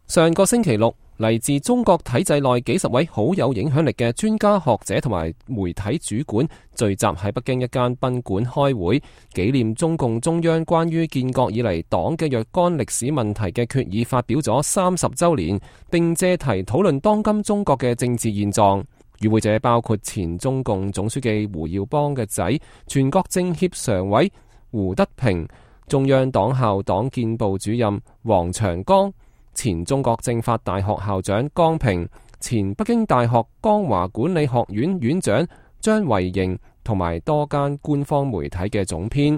上個星期六，嚟自中國體制內幾十位好有影響力嘅專家學者同埋媒體主管聚集喺北京一間賓館開會，紀念中共中央關於建國以嚟黨嘅若干歷史問題嘅決議發表咗30週年，並借題討論當今中國嘅政治現狀。與會者包括前中共總書記胡耀邦嘅仔、全國政協常委胡德平、中央黨校黨建部主任王長江、前中國政法大學校長江平、前北京大學江華管理學院院長張維迎同埋多間官方媒體嘅總編。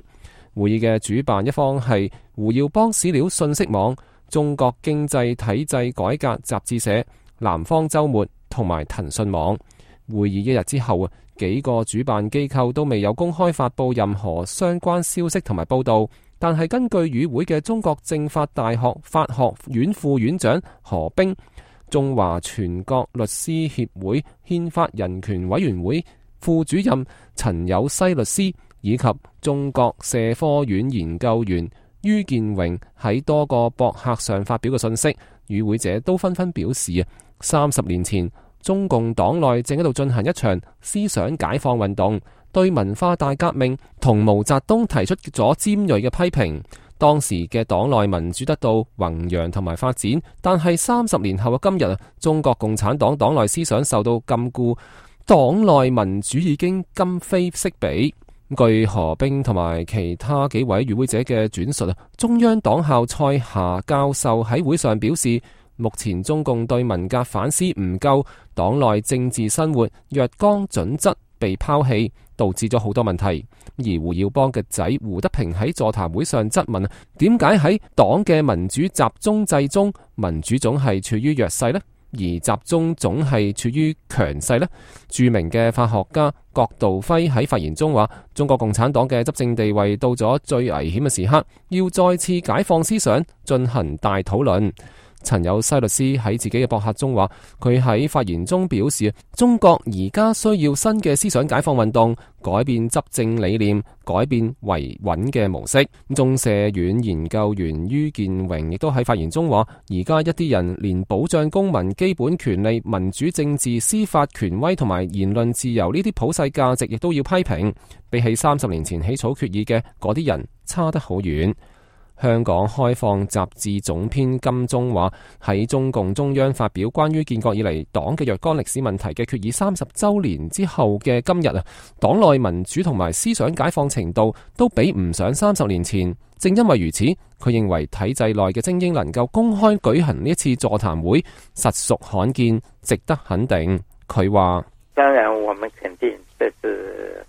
會議嘅主辦一方係胡耀邦史料信息網、中國經濟體制改革雜誌社、南方周末同埋騰訊網。會議一日之後，幾個主辦機構都未有公開發布任何相關消息同埋報道，但係根據與會嘅中國政法大學法學院副院長何冰、中華全國律師協會憲法人權委員會副主任陳有西律師以及中國社科院研究員于建榮喺多個博客上發表嘅信息，與會者都紛紛表示30年前中共黨內正喺度進行一場思想解放運動，對文化大革命同毛澤東提出咗尖銳嘅批評。當時嘅黨內民主得到弘揚同埋發展，但係30年後嘅今日，中國共產黨黨內思想受到禁錮，黨內民主已經今非昔比。據何冰同埋其他幾位與會者嘅轉述，中央黨校蔡霞教授喺會上表示，目前中共對文革反思唔夠，黨內政治生活若干準則被拋棄，導致咗好多問題。而胡耀邦嘅仔胡德平喺座談會上質問，點解喺黨嘅民主集中制中，民主總係處於弱勢呢？而集中總係處於強勢呢？著名嘅法學家郭道輝喺發言中話，中國共產黨嘅執政地位到咗最危險嘅時刻，要再次解放思想，進行大討論。陳有西律師喺自己嘅博客中話，佢喺發言中表示，中國而家需要新嘅思想解放運動，改變執政理念，改變維穩嘅模式。中社院研究員于建榮亦都喺發言中話，而家一啲人連保障公民基本權利、民主政治、司法權威同埋言論自由呢啲普世價值亦都要批評，比起30年前起草決議嘅嗰啲人差得好遠。香港開放雜誌總編金鐘話，喺中共中央發表關於建國以嚟黨嘅若干歷史問題嘅決議30週年之後嘅今日，黨內民主同埋思想解放程度都比唔上30年前。正因為如此，佢認為體制內嘅精英能夠公開舉行呢一次座談會，實屬罕見，值得肯定。佢話：當然，我們肯定，這是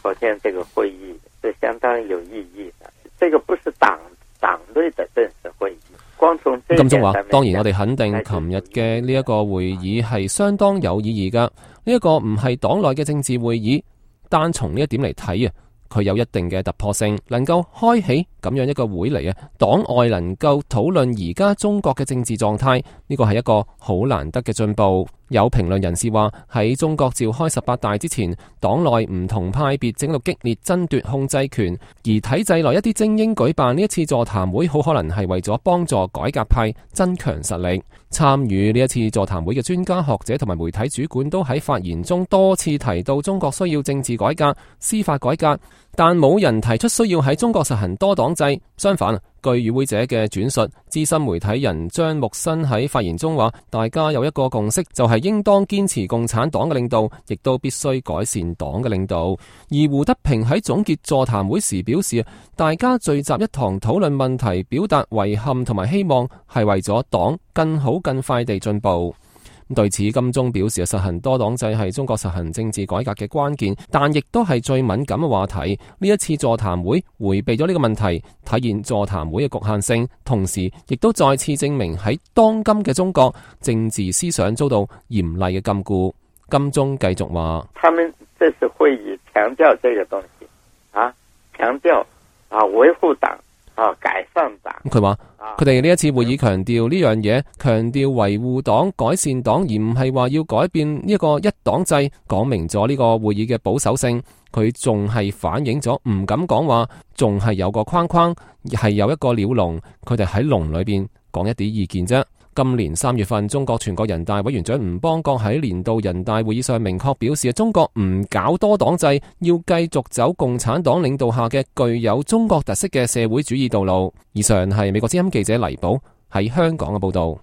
首先這個會議是相當有意義的。這個不是黨內的正式會議。光從這金鐘話，當然我哋肯定，琴日嘅呢一個會議係相當有意義噶。呢一個唔係黨內嘅政治會議，單從呢一點嚟睇佢有一定嘅突破性，能夠開起咁樣一個會嚟黨外能夠討論而家中國嘅政治狀態，呢個係一個好難得嘅進步。有評論人士話，喺中國召開18大之前，黨內唔同派別正喺度激烈爭奪控制權，而體制內一啲精英舉辦呢一次座談會，好可能係為咗幫助改革派增強實力。參與呢一次座談會嘅專家學者同埋媒體主管都喺發言中多次提到中國需要政治改革、司法改革，但冇人提出需要喺中國實行多黨制。相反，據與會者嘅轉述，資深媒體人張木新喺發言中話，大家有一個共識，就係應當堅持共產黨嘅領導，亦都必須改善黨嘅領導。而胡德平喺總結座談會時表示，大家聚集一堂討論問題，表達遺憾同埋希望，係為咗黨更好更快地進步。對此，金鐘表示，實行多黨制係中國實行政治改革嘅關鍵，但亦都係最敏感嘅話題。呢一次座談會迴避咗呢個問題，體現座談會嘅局限性，同時亦都再次證明喺當今嘅中國，政治思想遭到嚴厲嘅禁錮。金鐘繼續話：他們這次會議強調這個東西，強調維護黨。改善黨。佢話佢哋呢一次會議強調呢樣嘢，強調維護黨、改善黨，而唔係話要改變呢個一黨制，講明咗呢個會議嘅保守性。佢仲係反映咗唔敢講話，仲係有個框框，係有一個鳥籠，佢哋喺籠裏邊講一啲意見啫。今年3月份，中國全國人大委員長吳邦國喺年度人大會議上明確表示，中國唔搞多黨制，要繼續走共產黨領導下嘅具有中國特色嘅社會主義道路。以上係美國之音記者黎寶喺香港嘅報道。